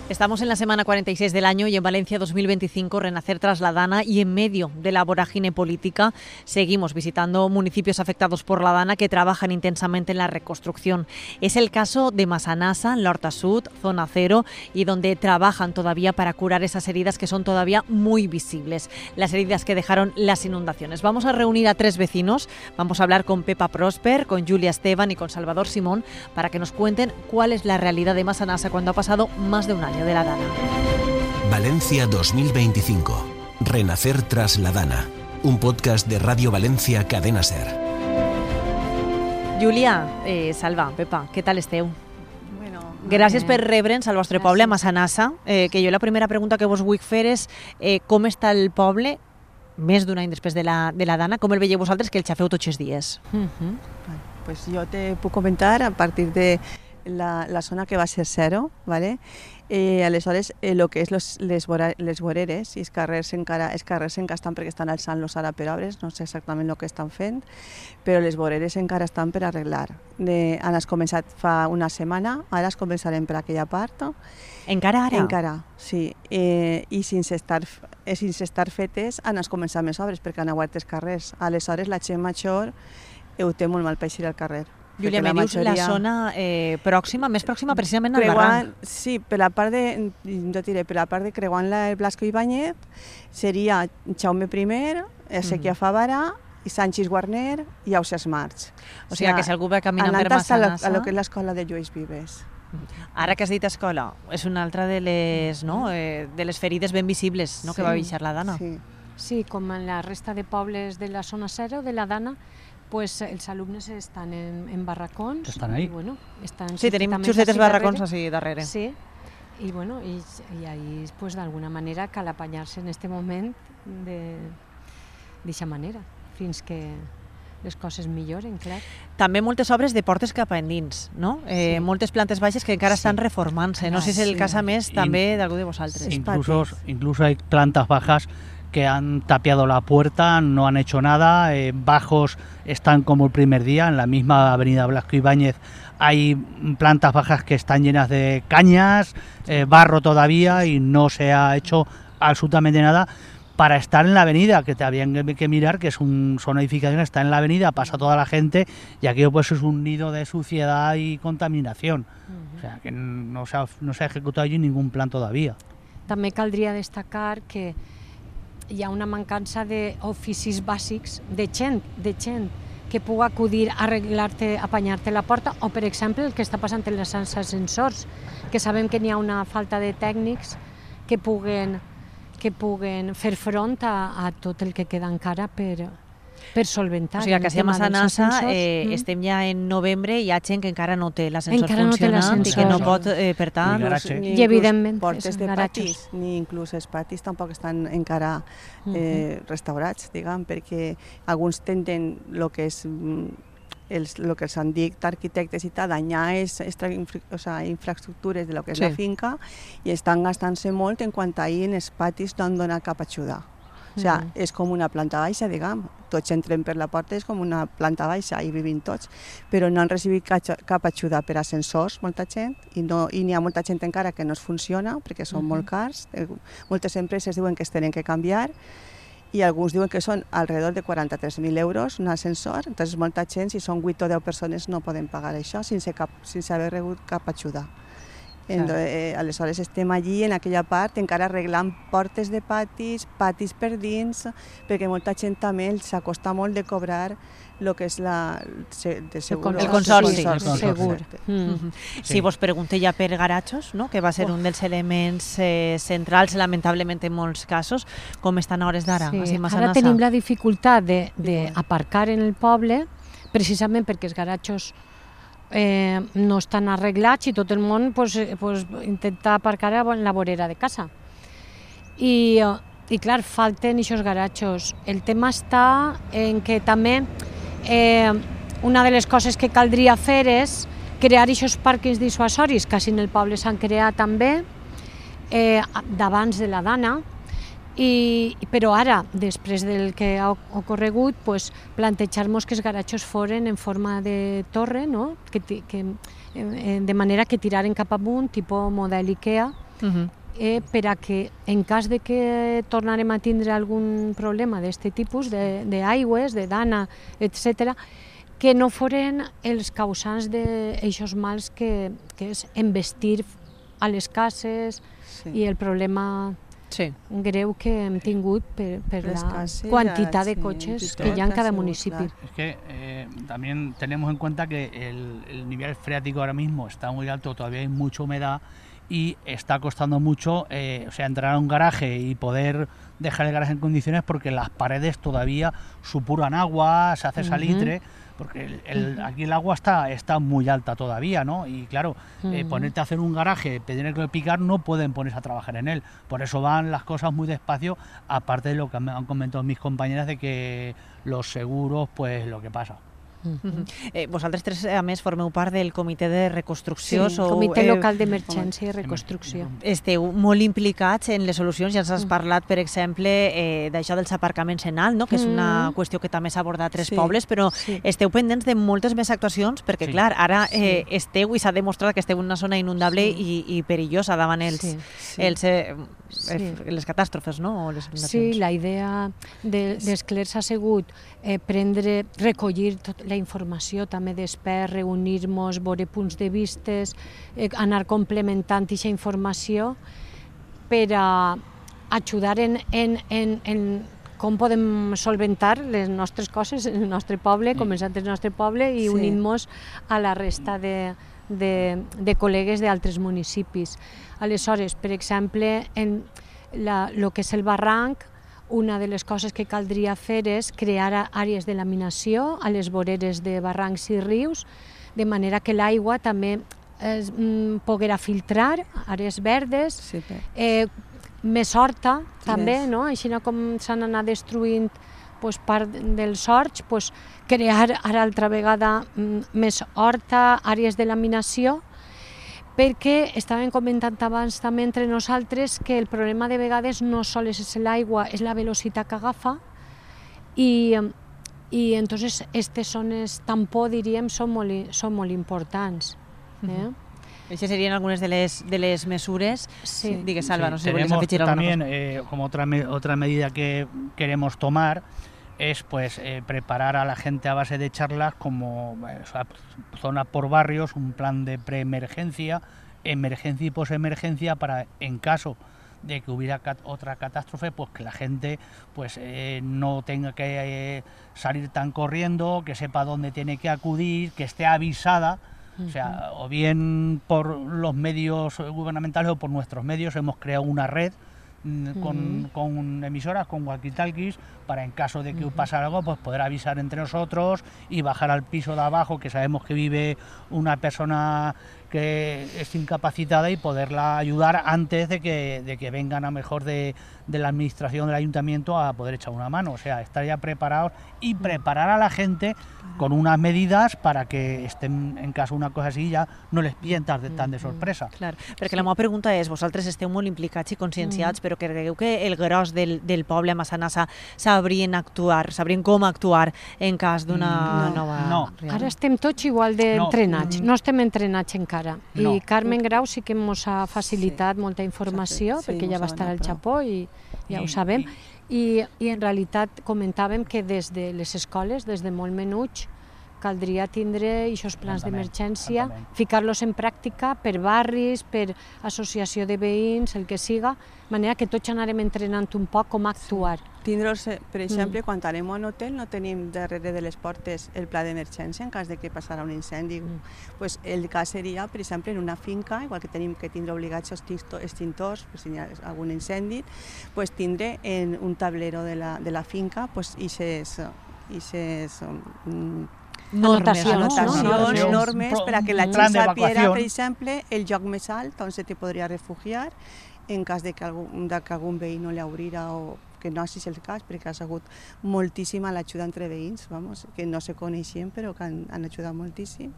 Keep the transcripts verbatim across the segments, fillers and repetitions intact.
Estamos en la semana cuarenta y seis del año y en Valencia dos mil veinticinco, renacer tras la Dana, y en medio de la vorágine política seguimos visitando municipios afectados por la Dana que trabajan intensamente en la reconstrucción. Es el caso de Massanassa, en la Horta Sud, zona cero, y donde trabajan todavía para curar esas heridas que son todavía muy visibles, las heridas que dejaron las inundaciones. Vamos a reunir a tres vecinos, vamos a hablar con Pepa Prosper, con Julia Esteban y con Salvador Simón para que nos cuenten cuál es la realidad de Massanassa cuando ha pasado más de un año de la Dana. Valencia dos mil veinticinco. Renacer tras la Dana. Un podcast de Radio Valencia Cadena Ser. Julia, eh, Salva, Pepa, què tal esteu? Bueno, Gràcies eh, per rebre'ns al vostre poble, a Massanassa, eh, que jo la primera pregunta que vos vull fer és eh, com està el poble més d'un any després de la, de la Dana, com el veieu vosaltres, que el xafeu tots els dies? Uh-huh. Pues yo te puc comentar a partir de la, la zona que va ser cero, ¿vale? Eh, aleshores, eh, lo que és los, les, vora, les voreres i els carrers encara, els carrers encara estan perquè estan alçant-los ara per obres, no sé exactament el que estan fent, però les voreres encara estan per arreglar. De, han començat fa una setmana, ara es començarem per aquella part. Encara ara? Encara, sí. Eh, I sense estar, eh, sense estar fetes han començat més obres perquè han aguat els carrers. Aleshores, la gent major ho té molt mal per eixir al carrer. Julia, me dius la zona eh, pròxima, més pròxima precisament al barranc. Sí, per la part de, jo diré, per la part de creuant el Blasco Ibáñez seria Jaume I, Ezequiel Favara i Sánchez Guarner i Ausiàs March. O sigui, que si algú va caminant per Massanassa... a lo que és l'escola de Lluís Vives. Ara que has dit escola, és una altra de les, no, eh, de les ferides ben visibles, no, sí, que va baixar la Dana. Sí. Sí, com en la resta de pobles de la zona cero, de la Dana, pues els alumnes estan en, en barracons. Estan ahí. I, bueno, estan sí, tenim justetes barracons així darrere. Sí, i bueno, i, i ahí, pues, d'alguna manera cal apanyar-se en este moment d'aquesta manera, fins que les coses milloren, clar. També moltes obres de portes cap a endins, no? Eh, sí. Moltes plantes baixes que encara sí. estan reformant-se. No sé si és el sí. cas a més també d'algú de vosaltres. Incluso, incluso hay plantas bajas que han tapiado la puerta, no han hecho nada, eh, bajos están como el primer día, en la misma avenida Blasco Ibáñez hay plantas bajas que están llenas de cañas, eh, barro todavía, y no se ha hecho absolutamente nada para estar en la avenida, que te habían que mirar, que es un, son edificaciones, está en la avenida, pasa toda la gente, y aquello pues es un nido de suciedad y contaminación. Uh-huh. O sea, que no se ha, no se ha ejecutado allí ningún plan todavía. També caldria destacar que hi ha una mancança d'oficis bàsics de gent, de gent que pugui acudir a arreglar-te, apanyar-te la porta, o per exemple el que està passant en les ascensors, que sabem que n'hi ha una falta de tècnics que puguen, que puguen fer front a, a tot el que queda encara per, per solventar. O sigui que si a Massanassa eh, mm. estem ja en novembre i hi ha gent que encara no té l'ascensor funcionant no i que no pot, eh, per tant... Ni I evidentment portes de patis, ni inclús els patis tampoc estan encara eh, uh-huh. restaurats, diguem, perquè alguns tenen el que és els, el que s'han dit arquitectes i tal, danyar és extra, o sea, infraestructures de lo que és sí. la finca, i estan gastant-se molt en quant a ahir en els patis no han donat cap ajuda. O sigui, uh-huh. és com una planta baixa, diguem. Tots entrem per la porta, és com una planta baixa, i vivim tots. Però no han recibit cap ajuda per ascensors, molta gent, i no, i n'hi ha molta gent encara que no es funciona, perquè són uh-huh. molt cars. Moltes empreses diuen que es tenen que canviar, i alguns diuen que són alrededor de quaranta-tres mil euros un ascensor. Entonces, molta gent, si són vuit o deu persones, no poden pagar això sense, cap, sense haver rebut cap ajuda. Entonces, eh, aleshores estem allí en aquella part encara arreglant portes de patis, patis per dins, perquè molta gent també s'acosta molt de cobrar el que és la, de segur, el consorci. El consorci. Segur. Mm-hmm. Sí. Si vos pregunté ja per garatxos, no? Que va ser oh. un dels elements eh, centrals, lamentablement en molts casos, com estan a hores d'ara? Sí. Ara tenim la dificultat d'aparcar en el poble, precisament perquè els garatxos Eh, no estan arreglats i tot el món pues, pues, intenta aparcar en la vorera de casa. I, i clar, falten aquests garatxos. El tema està en que també eh, una de les coses que caldria fer és crear aquests pàrquings dissuasoris que en el poble s'han creat també eh, d'abans de la Dana. I, però ara, després del que ha ocorregut, pues, plantejar-nos que els garatxos foren en forma de torre, no? que, que, de manera que tiraren cap amunt, tipus model IKEA, uh-huh. eh, per a que en cas de que tornarem a tindre algun problema d'aquest tipus, d'aigües, de, de dana, etcètera, que no foren els causants d'aixòs mals que, que és embestir a les cases sí. i el problema sí. greu que hem tingut per, per la cases, quantitat de cotxes sí, que hi ha en cada municipi. Es que eh, también tenemos en cuenta que el, el nivel freático ahora mismo está muy alto, todavía hay mucha humedad y está costando mucho eh, o sea, entrar a un garaje y poder dejar el garaje en condiciones porque las paredes todavía supuran agua, se hace salitre. Uh-huh. Porque el, el, aquí el agua está, está muy alta todavía, ¿no? Y claro, eh, ponerte a hacer un garaje, tener que picar, no pueden ponerse a trabajar en él. Por eso van las cosas muy despacio, aparte de lo que han comentado mis compañeras de que los seguros, pues lo que pasa. Uh-huh. eh, vosaltres tres, a més, formeu part del comitè de reconstrucció. Sí, sou, comitè eh, local d'emergència i reconstrucció. Esteu molt implicats en les solucions, ja ens has parlat, per exemple, eh, d'això dels aparcaments en alt, no? Que és una mm. qüestió que també s'ha abordat a tres sí, pobles, però sí. esteu pendents de moltes més actuacions, perquè, sí. clar, ara eh, sí. esteu i s'ha demostrat que esteu en una zona inundable sí. i, i perillosa davant els, sí. Sí. els, eh, sí. les catàstrofes, no? O les sí, la idea de, d'Esclers ha sigut eh, prendre, recollir tot la informació també després, reunir-nos, veure punts de vistes, eh, anar complementant aquesta informació per a ajudar en, en, en, en com podem solventar les nostres coses en el nostre poble, començant el nostre poble i sí. unint-nos a la resta de, de, de col·legues d'altres municipis. Aleshores, per exemple, en la, lo que és el barranc, una de les coses que caldria fer és crear àrees de laminació a les voreres de barrancs i rius, de manera que l'aigua també es mm, poguera filtrar, àrees verdes, sí, eh, més horta també, yes. no? Així com s'han anat destruint pues, part dels horts, pues, crear ara altra vegada mm, més horta, àrees de laminació, perquè estàvem comentant abans també entre nosaltres que el problema de vegades no sols és l'aigua, és la velocitat que agafa i, i entonces aquestes zones tampó, diríem, són molt, són molt importants. Eh? Uh-huh. Estas serían algunas de las, de las mesures. Sí. Digues, Salva, sí, no sé si tenemos volvéis a también, eh, como otra, otra medida que queremos tomar, es pues eh, preparar a la gente a base de charlas como eh, o sea, zona por barrios, un plan de preemergencia, emergencia y posemergencia para en caso de que hubiera cat otra catástrofe, pues que la gente pues eh, no tenga que eh, salir tan corriendo, que sepa dónde tiene que acudir, que esté avisada. O sea, o bien por los medios gubernamentales o por nuestros medios hemos creado una red Con, uh-huh. con emisoras, con walkie-talkies, para en caso de que uh-huh. pasara algo, pues poder avisar entre nosotros y bajar al piso de abajo, que sabemos que vive una persona que es incapacitada y poderla ayudar antes de que, de que vengan a mejor de, de la administración del ayuntamiento a poder echar una mano. O sea, estar ya preparados y preparar a la gente con unas medidas para que estén, en caso una cosa així, ja no les pillen tan de, tan de sorpresa. Clar, perquè sí. la meva pregunta és, vosaltres esteu molt implicats i conscienciats, mm. però cregueu que el gros del, del poble a Massanassa sabrien actuar, sabrien com actuar en cas d'una no. nova... No. Ara estem tots igual d'entrenats, no. no estem entrenats encara. No. I Carmen Grau sí que ens ha facilitat sí. molta informació, sí, perquè ja va estar al Japó i ja I, ho sabem. I... I, i en realitat comentàvem que des de les escoles, des de molt menuts, caldria tindre aquests plans d'emergència, ficar-los en pràctica per barris, per associació de veïns, el que siga, de manera que tots anarem entrenant un poc com actuar. Sí. Tindre'ls, per exemple, mm. quan anem a un hotel no tenim darrere de les portes el pla d'emergència en cas de que passarà un incendi. Mm. Pues el cas seria, per exemple, en una finca, igual que tenim que tindre obligats extintors, pues, si hi ha algun incendi, pues, tindre en un tablero de la, de la finca pues, ixes, ixes um, normes, anotacions, no? normes per a que la gent sapiera, per exemple, el lloc més alt on se te podria refugiar en cas de que algun, de que algun veí no li obrirà o que no sigui el cas, perquè ha sigut moltíssima l'ajuda entre veïns, vamos, que no se coneixien però que han, han ajudat moltíssim,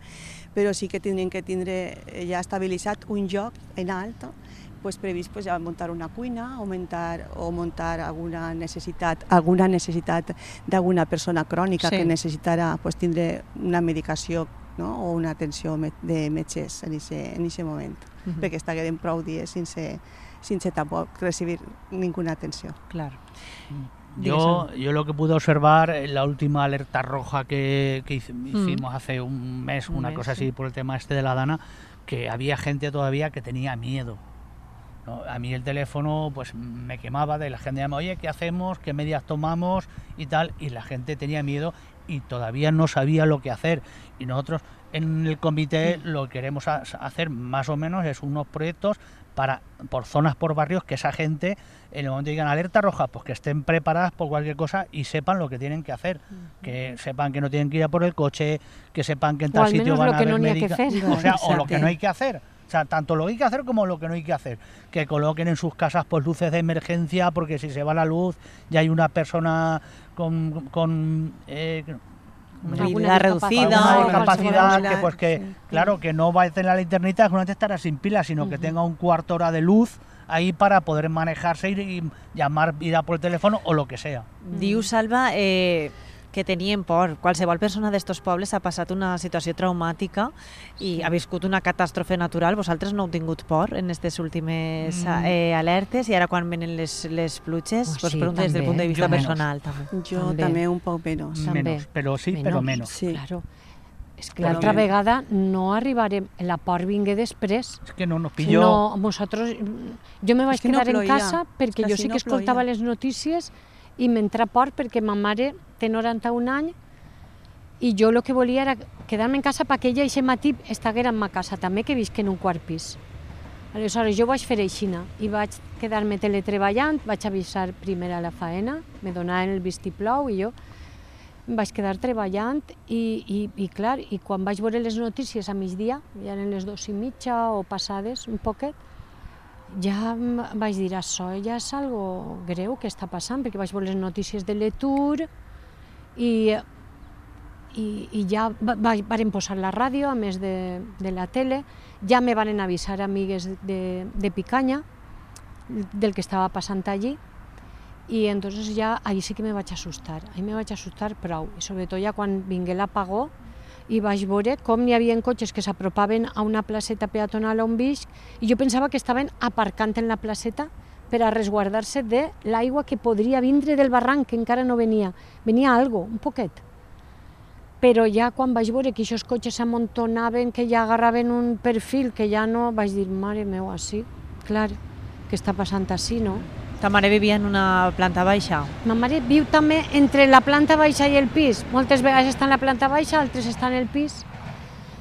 però sí que tindrien que tindre ja estabilitzat un lloc en alt, pues, previst pues, ja muntar una cuina o muntar, o muntar alguna necessitat alguna necessitat d'alguna persona crònica sí. que necessitarà pues, tindre una medicació no? O una atenció de metges en aquest moment, uh-huh. perquè estagueren prou dies sense, sense tampoc recibir ninguna atenció. Claro. Yo, yo lo que pude observar en la última alerta roja que, que hicimos mm. hace un mes, un una mes, cosa así, sí. por el tema este de la Dana, que había gente todavía que tenía miedo, ¿no? A mí el teléfono pues me quemaba, de la gente llamaba, oye, ¿qué hacemos? ¿Qué medidas tomamos? Y tal, y la gente tenía miedo y todavía no sabía lo que hacer. Y nosotros en el comité mm. lo que queremos hacer más o menos es unos proyectos para por zonas, por barrios, que esa gente, en el momento que digan alerta roja, pues que estén preparadas por cualquier cosa y sepan lo que tienen que hacer, uh-huh. que sepan que no tienen que ir a por el coche, que sepan que en tal sitio van a haber médicos, o sea, o lo que no hay que hacer. O sea, tanto lo que hay que hacer como lo que no hay que hacer. Que coloquen en sus casas pues luces de emergencia, porque si se va la luz ya hay una persona con... con eh, movilidad reducida, una capacidad que pues que sí. claro que no va a tener la linternita que no te estará sin pilas, sino uh-huh. que tenga un cuarto hora de luz ahí para poder manejarse y, y llamar, ir a por el teléfono o lo que sea. Diu Salva eh, que tenien por. Qualsevol persona d'estos pobles ha passat una situació traumàtica i sí. ha viscut una catàstrofe natural. Vosaltres no heu tingut por en aquestes últimes mm. eh, alertes i ara quan venen les, les pluges? Oh, pues sí, pregunto des del punt de vista jo personal. També. Jo també. també un poc menys. Menos, però sí, menos. però menys. Sí. Claro. És que l'altra vegada no arribarem, la por vingué després. És que no nos pilló. No, nosaltres, jo me vaig es que quedar no en casa perquè jo sí que no escoltava ploia. les notícies i m'entra por perquè ma mare té noranta-un anys i jo el que volia era quedar-me en casa perquè ella aquest matí estiguera en ma casa també, que visc en un quart pis. Aleshores jo vaig fer aixina i vaig quedar-me teletreballant, vaig avisar primer a la faena, me donaven el vistiplau i jo vaig quedar treballant i, i, i clar, i quan vaig veure les notícies a migdia, ja eren les dos i mitja o passades un poquet, ja vaig dir, això ja és algo greu que està passant, perquè vaig veure les notícies de l'Etur i, i, i ja varen posar la ràdio, a més de, de la tele, ja me van avisar amigues de, de Picanya del que estava passant allí i entonces ja ahí sí que me vaig assustar, ahí me vaig assustar prou, i sobretot ja quan vingué l'apagó i vaig veure com hi havia cotxes que s'apropaven a una placeta peatonal on visc i jo pensava que estaven aparcant en la placeta per a resguardar-se de l'aigua que podria vindre del barranc, que encara no venia. Venia algo, un poquet. Però ja quan vaig veure que aquests cotxes s'amontonaven, que ja agarraven un perfil, que ja no, vaig dir, mare meu, així, clar, que està passant així, no? Ta mare vivia en una planta baixa? Ma mare viu també entre la planta baixa i el pis. Moltes vegades està en la planta baixa, altres està en el pis.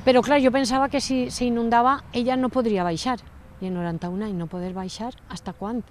Però clar, jo pensava que si s'inundava ella no podria baixar. I en noranta-un anys no poder baixar, hasta quan?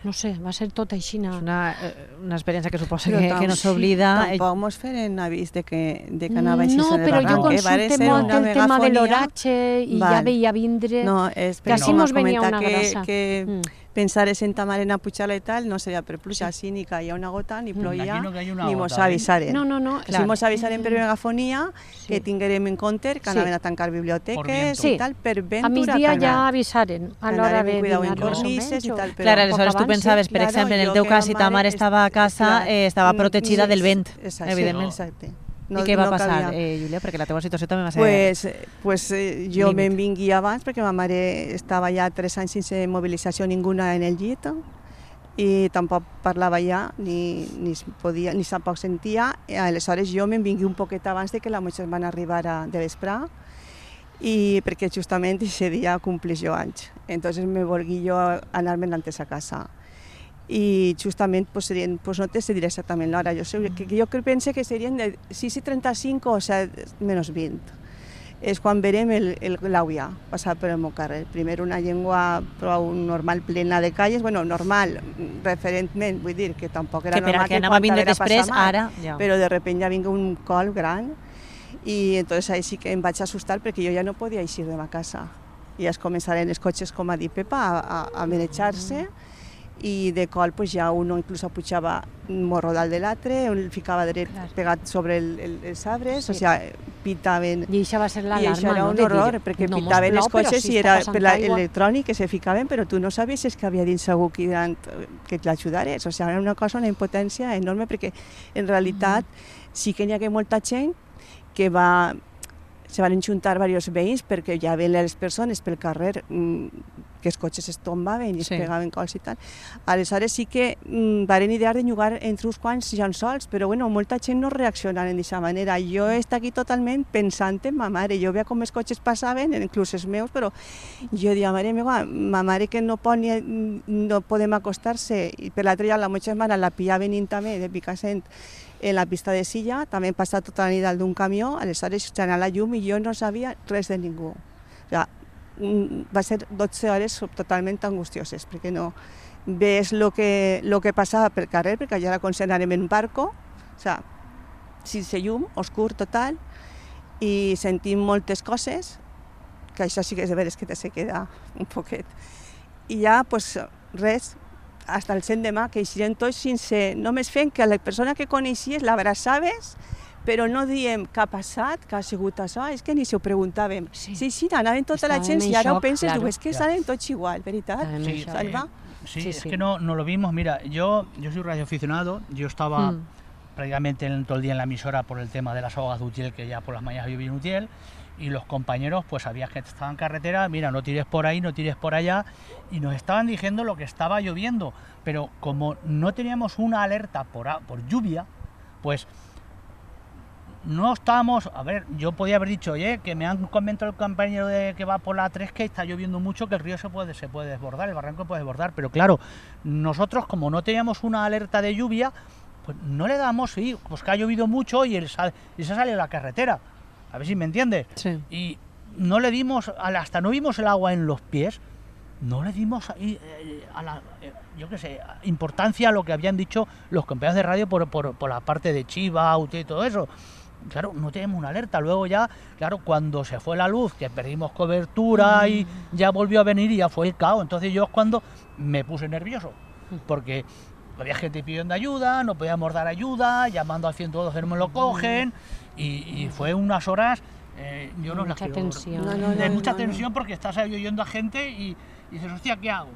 No sé, va ser tot així. És una, una experiència que suposa que, que no s'oblida. Sí, tampoc mos feren avís de que, de que anava així no, en el barranc. No, però jo consulte eh? molt el tema de l'oratge i Val. ja veia vindre... No, és que així mos venia una que, grassa. Que mm. pensar en ta mare en a pujar i tal no seria per pluja, sí. ni caia una gota, ni ploia, no ni mos avisaren. No, no, no. Si mos avisaren per megafonia, sí. que tinguérem en compte que anaven sí. a tancar biblioteques sí. i tal, per vent a migdia ja avisaren a l'hora de dinar més o menys. Clar, aleshores tu pensaves, per exemple, en el teu cas, si ta mare estava a casa, eh, estava protegida del vent, evidentment. Exacte. No, I què va no passar, eh, Júlia? Perquè la teva situació també va ser... Pues, pues eh, jo me'n vingui abans perquè ma mare estava ja tres anys sense mobilització ninguna en el llit i tampoc parlava ja, ni, ni podia, ni tampoc sentia. I aleshores jo me'n vingui un poquet abans de que la motxes van arribar a, de vespre i perquè justament aquest dia complís jo anys. Entonces me volgui jo anar-me'n antes a casa. I justament pues, serien, pues, no te sé dir exactament l'hora, jo, sé, que, que jo penso que serien de sis i trenta-cinc o set menys vint. És quan verem l'àvia passar per el meu carrer. Primer una llengua prou normal, plena de calles, bueno, normal, referentment, vull dir que tampoc era que normal que anava a vindre després, ara... Ja. Però de repente ja vinga un col gran i entonces ahí sí que em vaig assustar perquè jo ja no podia eixir de ma casa. I es començaren els cotxes, com ha dit Pepa, a, a, a manejar-se. Mm. I de col pues, ja uno inclús pujava un morro dalt de l'altre, el ficava dret claro. pegat sobre el, el, els arbres, sí. o sigui, pitaven... I això va ser l'alarma, no? I això era un horror, perquè no pitaven els cotxes si i era per l'electrònic que se ficaven, però tu no sabies si és que havia dins segur que, que l'ajudares. O sigui, era una cosa, una impotència enorme, perquè en realitat mm. sí que hi ha molta gent que va se van juntar diversos veïns perquè ja ven les persones pel carrer mmm, que els cotxes es tombaven i es Sí. pegaven cols i tal. Aleshores sí que mmm, varen idear de jugar entre uns quants llençols, però bueno, molta gent no reaccionava d'aquesta manera. Jo he estat aquí totalment pensant en ma mare. Jo veia com els cotxes passaven, inclús els meus, però jo deia, mare meva, ma mare que no, pot ni, no podem acostar-se, i per l'altre lloc la meva germana la pilla venint també de Picassent en la pista de Silla, també hem passat tota la nit dalt d'un camió, aleshores s'ha anat la llum i jo no sabia res de ningú. O sigui, va ser dotze hores totalment angustioses, perquè no ves el que, lo que passava pel carrer, perquè allà era com si anàrem en barco, o sigui, sense llum, oscur total, i sentim moltes coses, que això sí que és de veres que te se queda un poquet. I ja, pues, res, fins el cent de mà, que eixirem tots sense, només fent que la persona que coneixies l'abraçaves, però no diem què ha passat, què ha sigut això, és que ni se ho preguntàvem. Sí. Sí, sí, anaven tota la Estaven gent, en i ara ho shock, penses, claro. diu, és que salen tots igual, veritat? Estaven en Sí, shock. Salva? Sí, Sí, es sí. que no, no lo vimos. Mira, yo, yo soy radioaficionado, yo estaba Mm. prácticamente en- todo el día en la emisora por el tema de las ahogas de Utiel, que ya por las mañanas yo vi en Utiel, y los compañeros, pues sabías que estaban en carretera, mira, no tires por ahí, no tires por allá, y nos estaban diciendo lo que estaba lloviendo, pero como no teníamos una alerta por, a- por lluvia, pues no estábamos, a ver, yo podía haber dicho, oye, que me han comentado el compañero de que va por la tres que está lloviendo mucho, que el río se puede, se puede desbordar, el barranco puede desbordar, pero claro, nosotros como no teníamos una alerta de lluvia, pues no le damos, sí, pues que ha llovido mucho y, el sal- y se sale a la carretera, a ver si me entiendes, Sí. y no le dimos, al- hasta no vimos el agua en los pies, no le dimos ahí, eh, a la, eh, yo qué sé, importancia a lo que habían dicho los compañeros de radio por, por, por la parte de Chiva, Utiel y todo eso. Claro, no tenemos una alerta. Luego ya, claro, cuando se fue la luz, que perdimos cobertura y ya volvió a venir y ya fue el caos. Entonces yo es cuando me puse nervioso, porque había gente pidiendo ayuda, no podíamos dar ayuda, llamando al ciento doce no me lo cogen, y, y fue unas horas, eh, yo no las Mucha quiero- tensión. No, no, de no, mucha no, tensión, porque estás ahí oyendo a gente y, y dices, hostia, ¿qué hago?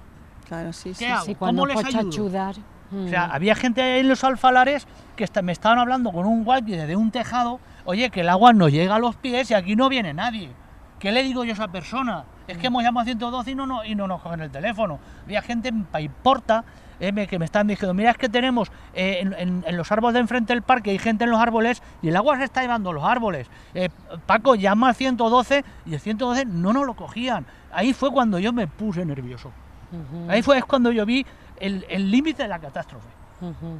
Claro, sí, sí. ¿Qué hago? Sí, ¿Cómo cuando les pots ayudo? ayudar. O sea, había gente ahí en los alfalares que está- me estaban hablando con un walkie desde un tejado, oye, que el agua no llega a los pies y aquí no viene nadie. ¿Qué le digo yo a esa persona? Es que hemos llamado a ciento doce y no, no, y no nos cogen el teléfono. Había gente en Paiporta eh, me- que me están diciendo, mira, es que tenemos eh, en, en- en los árboles de enfrente del parque, hay gente en los árboles y el agua se está llevando los árboles. Eh, Paco, llama al ciento doce y el ciento doce no nos lo cogían. Ahí fue cuando yo me puse nervioso. Ujú, Ahí fue es cuando yo vi el el límite de la catástrofe. ujú.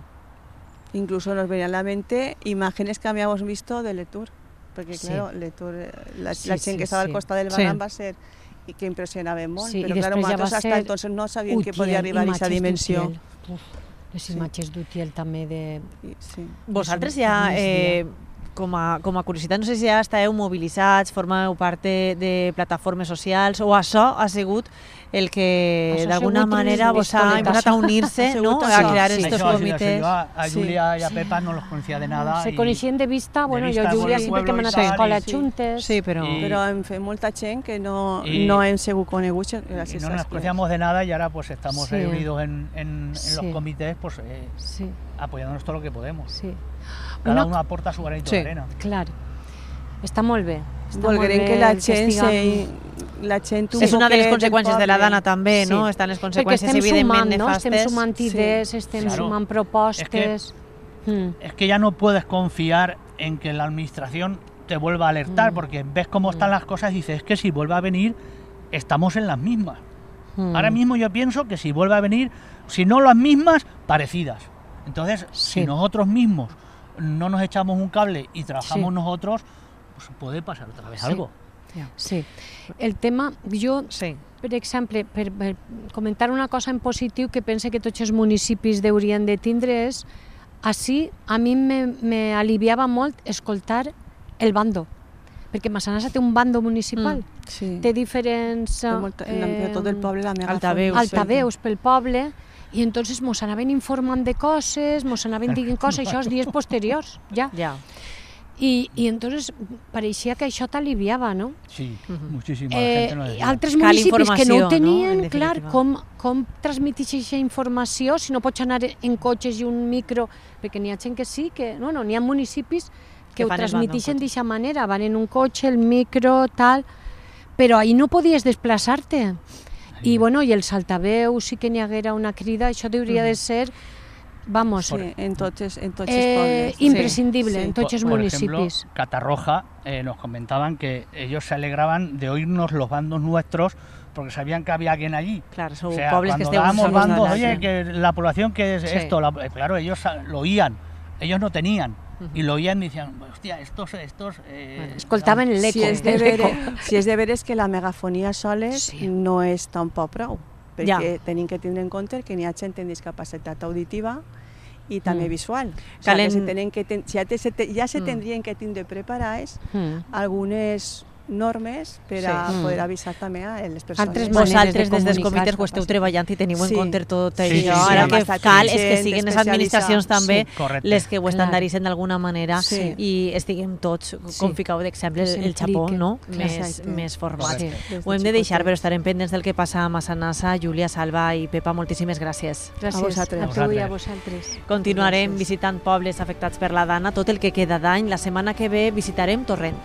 Incluso nos venían a la mente imágenes que habíamos visto de Letour, porque Sí. claro, Letour, eh, la, Sí, la sí, gent que estava sí. al costat del Sí. barranc va ser i que impressionava molt, Sí, però i claro, després ja va nosaltres hasta ser entonces no sabíem que Utiel, podia arribar a aquesta imatges dimensió. d'Utiel. Uf, les Sí. imatges d'Utiel també de... I- Sí. Vosaltres Això ja, no és eh, com, a, com a curiositat, no sé si ja estàveu mobilitzats, formeu part de, de plataformes socials, o això ha sigut el que Això ha d'alguna sigut manera un vos ha pistoletazo. imposat a unir-se, Ha no? sigut a això. crear Sí. estos Eso ha sido, comités. yo a, a Sí. Julia y a Pepa no los conocía de nada. Se y- coneixien de vista, bueno, vista jo por Júlia el sí pueblo perquè hem y anat a tal, escola i sí. juntes. Sí, però... I- Però hem fet molta gent que no, I- no hem sigut coneguts y gràcies no a nos les conocíamos de nada y ahora pues estamos Sí. ahí unidos en, en- en Sí. los comités, pues eh, Sí, apoyándonos todo lo que podemos. sí. Cada Una- uno aporta su granito Sí. de arena. Clar. Està molt bé. Està molt Volguerem bé que la el gent, estiguem- se, la gent un És una de les poquet conseqüències de la poble. dana també, no? Sí. Estan les Perquè conseqüències estem evidentment sumant, no? nefastes. Estem sumant Sí. idees, estem Claro. sumant propostes. Mm. Es que ya no puedes confiar en que la administración te vuelva a alertar, Mm. porque ves cómo están Mm. las cosas y dices, es que si vuelve a venir, estamos en las mismas. Mm. Ahora mismo yo pienso que si vuelve a venir, si no las mismas, parecidas. Entonces, Sí. si nosotros mismos no nos echamos un cable y trabajamos Sí. nosotros, pues puede pasar otra vez Sí. algo. Sí. El tema, jo, Sí. per exemple, per, per comentar una cosa en positiu que pense que tots els municipis haurien de tindre és, així a mi me, me aliviava molt escoltar el bando, perquè Massanassa té un bando municipal, Mm. Sí. té diferents Té molta, eh, tot el poble la megafon. altaveus. altaveus pel poble, i entonces mos anaven informant de coses, mos anaven dient coses, això els dies posteriors, ja. Ja. I, i entonces pareixia que això t'aliviava, no? Sí, Ujú. muchísima Eh, gente nos decía. altres Cal municipis que no informació, ho no? tenien, En clar, definitiva. com, com transmetix aquesta informació si no pots anar en cotxes i un micro, perquè n'hi ha gent que sí, que, bueno, n'hi ha municipis que, que ho transmitixen no d'aquesta manera, van en un cotxe, el micro, tal, però ahir no podies desplaçar-te. I, bueno, i el saltaveu, sí que n'hi haguera una crida, això hauria de ser, vamos, sí, en tots, en tots eh, pobles. imprescindible, Sí. en tots els Por municipis. ejemplo, Catarroja eh, nos comentaban que ellos se alegraban de oírnos los bandos nuestros porque sabían que había alguien allí. Claro, son O sea, pobles que cuando estén dábamos solos de bandos, la- oye, que la población que es Sí. esto, la- eh, claro, ellos sa- lo oían, ellos no tenían. Y lo oían y decían, hostia, estos, estos... Eh, Bueno, Escoltaven l'eco. Si és de l'eco. veres, si és de veres que la megafonia soles Sí. no és tampoc prou, perquè Ja. tenim que tindre en compte que n'hi ha gent amb discapacitat auditiva i també Mm. visual. O sigui, Calen- que se tenen que ten, ja, te, se te, ja se Mm. tindrien que tindre preparades Mm. algunes normes per a Sí. poder Mm. avisar també a les persones. Altres maneres Vosaltres de des dels comunicar. comitès ho esteu treballant i teniu en Sí. compte tot Sí, això. sí, sí. Ara Amb que estat cal és que gent siguin les especialitzada. administracions també Sí, correcte. les que ho Clar. estandaritzen d'alguna manera Sí. i estiguem tots, com Sí. ficau d'exemple, Que el, el xapó, s'impliquen. no? Clar. Més, Exacte. més format. Sí. Des Ho hem de xicotets. deixar, però estarem pendents del que passa a Massanassa. Júlia, Salva i Pepa, moltíssimes gràcies. Gràcies A vosaltres. a tu i a vosaltres. vosaltres. Continuarem Gràcies. visitant pobles afectats per la dana tot el que queda d'any. La setmana que ve visitarem Torrent.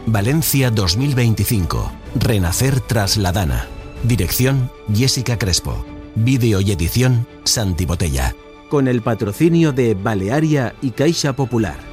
Valencia dos mil veinticinco. Renacer tras la Dana. Dirección Jessica Crespo. Vídeo y edición Santi Botella. Con el patrocinio de Balearia y Caixa Popular.